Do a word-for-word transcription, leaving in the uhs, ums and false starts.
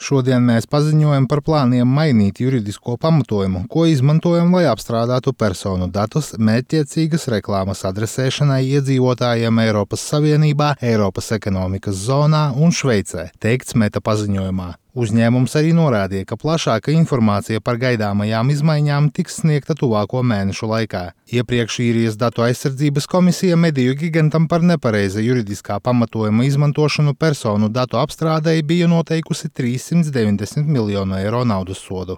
Šodien mēs paziņojam par plāniem mainīt juridisko pamatojumu, ko izmantojam, lai apstrādātu personu datus mērķtiecīgas reklāmas adresēšanai iedzīvotājiem Eiropas Savienībā, Eiropas ekonomikas zonā un Šveicē, teikts Meta paziņojumā. Uzņēmums arī norādīja, ka plašāka informācija par gaidāmajām izmaiņām tiks sniegta tuvāko mēnešu laikā. Iepriekš Īrijas datu aizsardzības komisija mediju gigantam par nepareiza juridiskā pamatojuma izmantošanu personu datu apstrādei bija noteikusi trīssimt deviņdesmit miljonu eiro naudas sodu.